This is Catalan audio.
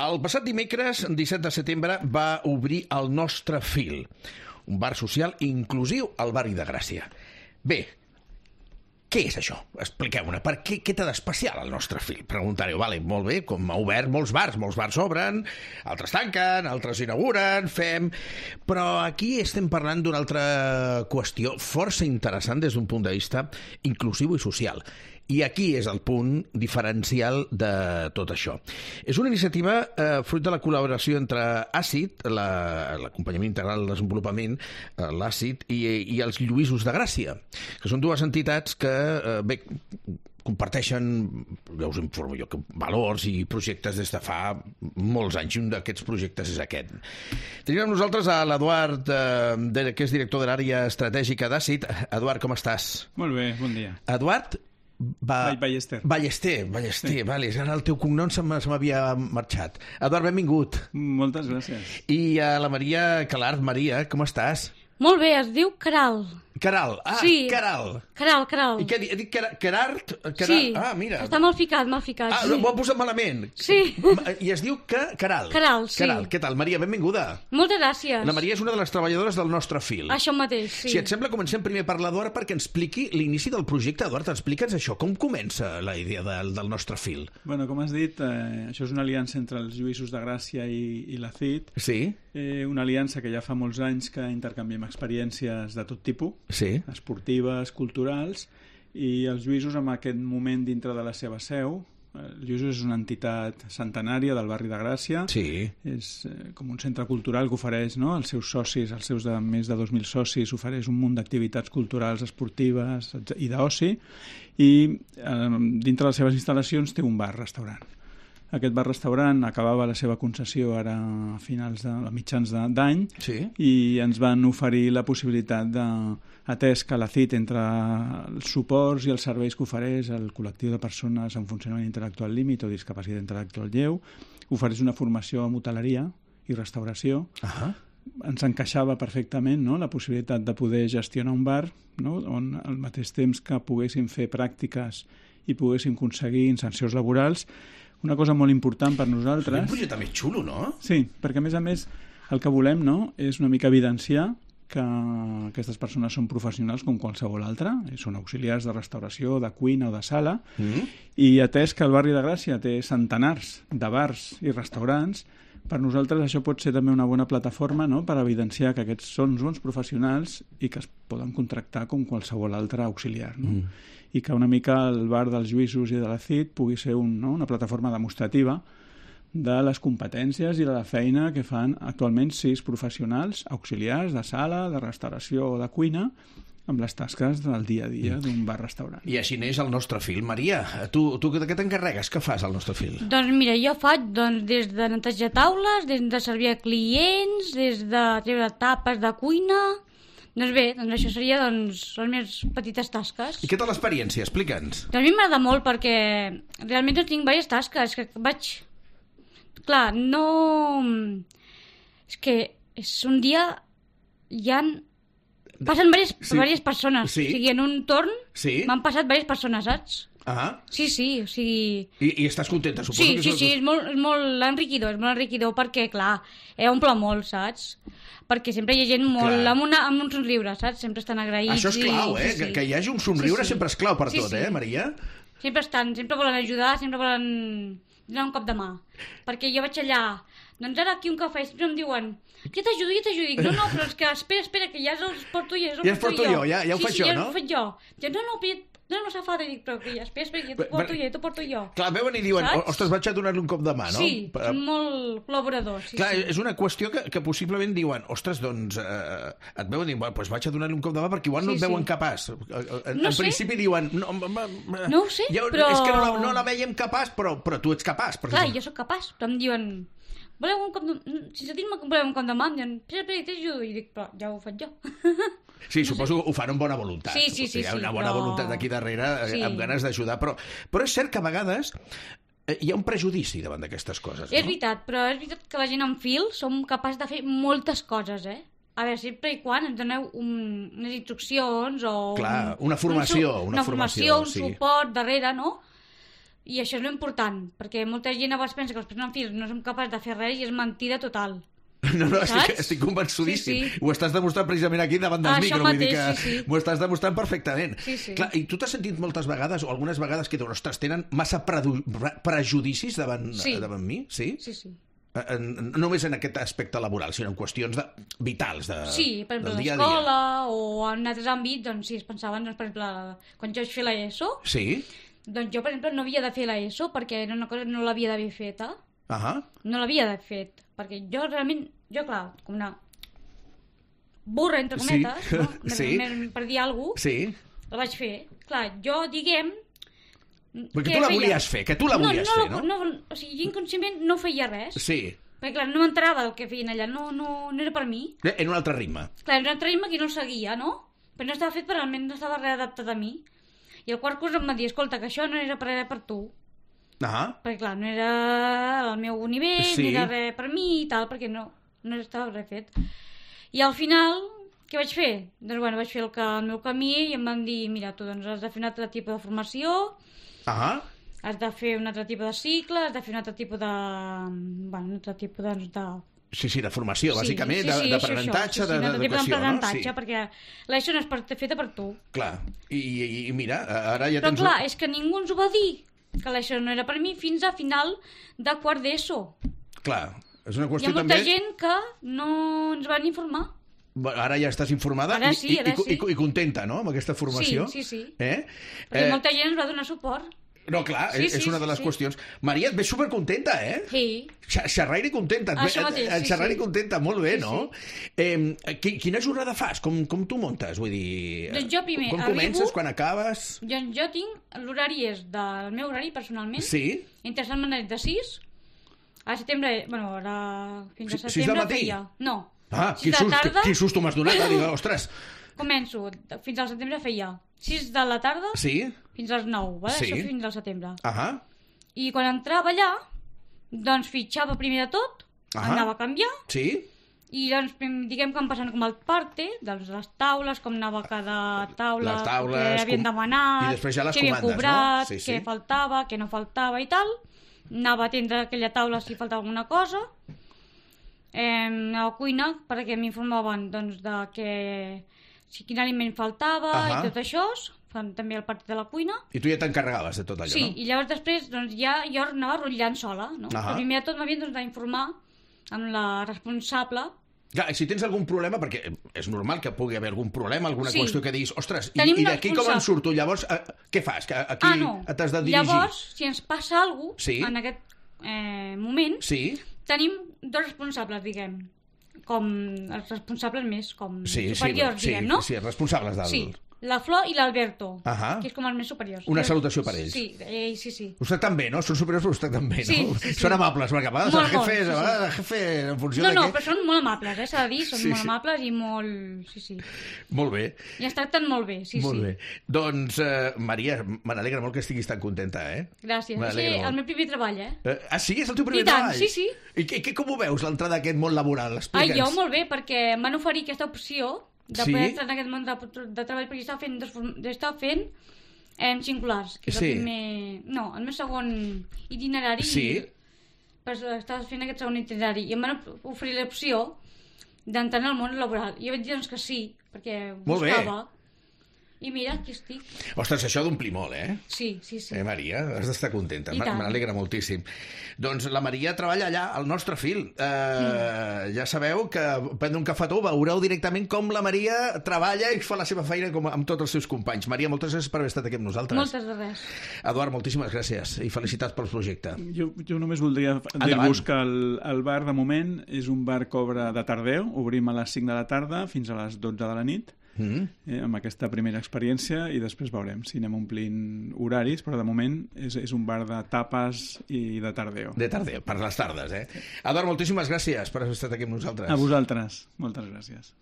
El passat dimecres, 17 de setembre, va obrir el Nostre Fil, un bar social inclusiu al barri de Gràcia. Bé, què és això? Expliqueu-me, què té d'especial el Nostre Fil? Preguntareu, vale, molt bé, com ha obert molts bars obren, altres tanquen, altres inauguren, fem... Però aquí estem parlant d'una altra qüestió força interessant des d'un punt de vista inclusiu i social. I aquí és el punt diferencial de tot això. És una iniciativa fruit de la col·laboració entre ACID, l'acompanyament integral del desenvolupament, l'ACID, i els Lluïsos de Gràcia, que són dues entitats que, bé, comparteixen, ja us informo jo, valors i projectes des de fa molts anys, i un d'aquests projectes és aquest. Tenim amb nosaltres a l'Eduard, que és director de l'àrea estratègica d'ACID. Eduard, com estàs? Molt bé, bon dia. Eduard Ballester. Sí. Vale, ara el teu cognom se m'havia marxat. Eduard, benvingut. Moltes gràcies. I a la Maria Calart. Maria, com estàs? Molt bé, es diu Caral. Caral, sí. Caral. Caral. I què he dit? Carart? Sí, mira. està mal ficat, sí. Ho ha posat malament. Sí. I es diu Caral. Caral, sí. Caral, què tal? Maria, benvinguda. Moltes gràcies. La Maria és una de les treballadores del Nostre Fil. Això mateix, sí. Si et sembla, comencem primer per l'Eduard perquè ens expliqui l'inici del projecte. Eduard, explica'ns això. Com comença la idea del Nostre Fil? Bueno, com has dit, això és una aliança entre els Lluïsos de Gràcia i la CID. Sí. Una aliança que ja fa molts anys que intercanviem experiències de tot tipus. Sí. Esportives, culturals, i els Lluïsos en aquest moment dintre de la seva seu. Lluïsos és una entitat centenària del barri de Gràcia. Sí. És com un centre cultural que ofereix, no, als seus socis, als seus més de 2.000 socis, ofereix un munt d'activitats culturals, esportives i d'oci, i dintre de les seves instal·lacions té un bar-restaurant. Aquest bar-restaurant acabava la seva concessió ara a mitjans d'any, sí. I ens van oferir la possibilitat atès que la CID, entre els suports i els serveis que ofereix el col·lectiu de persones amb funcionament intel·lectual límit o discapacitat intel·lectual lleu, ofereix una formació en hoteleria i restauració. Ens encaixava perfectament, no?, la possibilitat de poder gestionar un bar, no?, on al mateix temps que poguéssim fer pràctiques i poguéssim aconseguir insercions laborals. Una cosa molt important per nosaltres... És un projecte més xulo, no? Sí, perquè a més el que volem, no, és una mica evidenciar que aquestes persones són professionals com qualsevol altra, són auxiliars de restauració, de cuina o de sala, i atès que el barri de Gràcia té centenars de bars i restaurants, per nosaltres això pot ser també una bona plataforma, no?, per evidenciar que aquests són bons professionals i que es poden contractar com qualsevol altre auxiliar, no? I que una mica el bar dels Lluïsos i de la CID pugui ser una plataforma demostrativa de les competències i de la feina que fan actualment 6 professionals auxiliars de sala, de restauració o de cuina, amb les tasques del dia a dia d'un bar-restaurant. I així neix el Nostre Fil. Maria, tu de què t'encarregues? Què fas al Nostre Fil? Doncs mira, jo faig des de netejar taules, des de servir a clients, des de treure tapes de cuina... Doncs bé, això seria les meves petites tasques. I què tal l'experiència? Explica'ns. Doncs a mi m'agrada molt perquè realment tinc diverses tasques que vaig... Clar, no... És que és un dia passen diverses persones. Sí. O sigui, en un torn m'han passat diverses persones, saps? Sí, o sigui... I estàs contenta, suposo? Sí, és molt enriquidor perquè, clar, omple molt, saps? Perquè sempre hi ha gent molt amb un somriure, saps? Sempre estan agraïts. Això és clau, que hi hagi un somriure sempre és clau per tot, Maria? Sempre volen ajudar, sempre volen donar un cop de mà. Perquè jo vaig allà, doncs ara aquí un cafè, sempre em diuen, ja t'ajudo. Dic, no, però és que espera, que ja els porto jo. Ja els porto jo, ja ho faig jo, no? Sí, ja ho faig jo. No s'ha fa, dic, però que ja espera, que t'ho porto jo. Clar, veuen i diuen, ostres, vaig a donar-li un cop de mà, no? Sí, són molt col·laboradors. Clar, és una qüestió que possiblement diuen, ostres, doncs, et veuen i diuen, doncs vaig a donar-li un cop de mà perquè igual no et veuen capaç. En principi diuen, no ho sé, però... És que no la veiem capaç, però tu ets capaç. Clar, jo sóc capaç, però em diuen... Voleu un cop de... Sense dir-me que voleu un cop de mà, em diuen, espera, t'ajudo. I dic, però ja ho faig jo. Sí, suposo que ho fan amb bona voluntat. Sí. Hi ha una bona voluntat aquí darrere, amb ganes d'ajudar. Però és cert que a vegades hi ha un prejudici davant d'aquestes coses, no? És veritat, però és veritat que la gent en fil som capaços de fer moltes coses, A veure, sempre i quan ens doneu unes instruccions o... Clar, una formació. Un suport darrere, no? I això és important, perquè molta gent a vegades pensa que els presos en fil no som capaços de fer res i és mentida total. No, Saps? estic convençudíssim. Sí, sí. Ho estàs demostrant precisament aquí davant del Això micro. Vull dir mateix, que sí. m'ho estàs demostrant perfectament. Sí, sí. Clar, i tu t'has sentit moltes vegades, o algunes vegades, que dius, ostres, tenen massa prejudicis davant mi? Sí? Sí, sí. No només en aquest aspecte laboral, sinó en qüestions vitals Sí, per exemple, del dia a dia. l'escola o en altres àmbits, doncs sí, es pensaven, doncs, per exemple, quan jo vaig fer l'ESO, Sí? doncs jo, per exemple, no havia de fer l'ESO perquè era una cosa que no l'havia d'haver feta. Ahà. No l'havia d'haver fet, perquè jo realment, clar, com una burra, entre cometes, Sí. no? Sí. Per dir alguna cosa, Sí? la vaig fer. Clar, jo, diguem... Perquè tu la volies fer, que tu la volies fer, no? O sigui, jo inconscientment no feia res. Sí. Perquè, clar, no m'enterava del que feien allà, no era per mi. En un altre ritme. Clar, era un altre ritme que no el seguia, no? Però no estava fet, però almenys no estava readaptat a mi. I el quart curs em va dir, escolta, que això no era per tu. Ah, Perquè, clar, no era el meu nivell, Sí. no era res per mi i tal, perquè no estava res fet. I al final, què vaig fer? Doncs, bueno, vaig fer el meu camí i em van dir, mira, tu doncs has de fer un altre tipus de formació, has de fer un altre tipus de cicle, has de fer un altre tipus de... Bueno, un altre tipus de sí, de formació, bàsicament, d'aprenentatge, un altre tipus d'educació, no? d'aprenentatge, Sí. perquè l'ESO no és feta per tu. Clar, i mira, ara ja Però tens... clar, és que ningú ens ho va dir, que l'ESO no era per mi, fins a final de quart d'ESO. Clar, és una Hi ha qüestió molta també... gent que no ens van informar. Ara ja estàs informada Ara sí, ara sí. i contenta, no?, amb aquesta formació. Sí. Eh? Perquè molta gent ens va donar suport. No, clar, Sí, és una de les qüestions. Maria, et veig supercontenta, eh? Sí. Xerraire contenta. Això mateix, sí, Xerraire sí. contenta, molt bé, Sí, no? Quina jornada fas? Com tu montes? Vull dir... Doncs jo primer quan arribo- comences, quan acabes... Jo tinc... L'horari és del meu horari, personalment. Sí? Entre setmanes de 6. A setembre... Bueno, ara... Fins a 6 del setembre matí? feia... No. Ah, 6 de la tarda. quin susto m'has donat. Dic, ostres, Començo. Fins al setembre feia 6 de la tarda sí? fins als 9. Vale? Sí. Això fins al setembre. Ahà. I quan entrava allà, doncs fitxava primer de tot, anava a canviar, Sí? i doncs diguem que em passen com el parte, doncs les taules, com anava cada taula, Les taules, què havien demanat, i després ja les què havien comandes, no? cobrat, Sí, sí. què faltava, què no faltava i tal. Anava a atendre aquella taula si faltava alguna cosa. A la cuina, perquè m'informaven doncs, de quin aliment faltava i tot això, fan també el partit de la cuina. I tu ja t'encarregaves de tot allò, Sí, no? i llavors després doncs, ja jo anava rotllant sola, no? Però primer de tot m'havien doncs, d'informar amb la responsable. Clar, i si tens algun problema, perquè és normal que pugui haver algun problema, alguna qüestió que diguis, ostres, Tenim i una d'aquí com en responsable. surto? Llavors, què fas? Que aquí t'has de dirigir? Llavors, si ens passa alguna cosa, Sí. en aquest moment, Sí? tenim dos responsables, diguem, com els responsables més, com Sí, superiors, sí, diguem, no? Sí, responsables del... Sí, la Flor i l'Alberto, Ahà. que és com els més superiors. Una salutació per ells. Sí, sí. Us tracten bé, no? Són superiors, però us tracten bé, no? Sí. Són amables, perquè a vegades Molt, el jefe, molt, sí, a vegades el jefe, en funció de No, què... però són molt amables, s'ha de dir, són Sí, molt sí. amables i molt... Sí. Molt bé, I ens tracten molt bé, sí. molt bé. Doncs, Maria, me n'alegra molt que estiguis tan contenta, eh? Gràcies. M'alegra És molt. el meu primer treball, Sí? És el teu primer I tant, treball? sí. I com ho veus, l'entrada d'aquest món laboral? Explica'ns. Jo molt bé, perquè em van oferir aquesta opció de Sí? poder entrar en aquest món de treball, perquè estava fent singulars, que és Sí. el primer... No, el meu segon itinerari. Sí? Però estava fent aquest segon itinerari i em van oferir l'opció d'entrar en el món laboral. I jo vaig dir doncs, que sí, perquè Molt bé. buscava. I mira, aquí estic. Ostres, això d'omplir molt, eh? Sí. Maria, has d'estar contenta. I tant. Me n'alegra moltíssim. Doncs la Maria treballa allà, al nostre fil. Ja sabeu que prendre un cafetó veureu directament com la Maria treballa i fa la seva feina com amb tots els seus companys. Maria, moltes gràcies per haver estat aquí amb nosaltres. Moltes de res. Eduard, moltíssimes gràcies i felicitats pel projecte. Jo només voldria dir-vos que el bar, de moment, és un bar que obre de tardeu. Obrim a les 5 de la tarda fins a les 12 de la nit. Amb aquesta primera experiència, i després veurem si anem omplint horaris, però de moment és un bar de tapes i de tardeo. De tardeu, per les tardes, eh? Eduard, moltíssimes gràcies per haver estat aquí amb nosaltres. A vosaltres, moltes gràcies.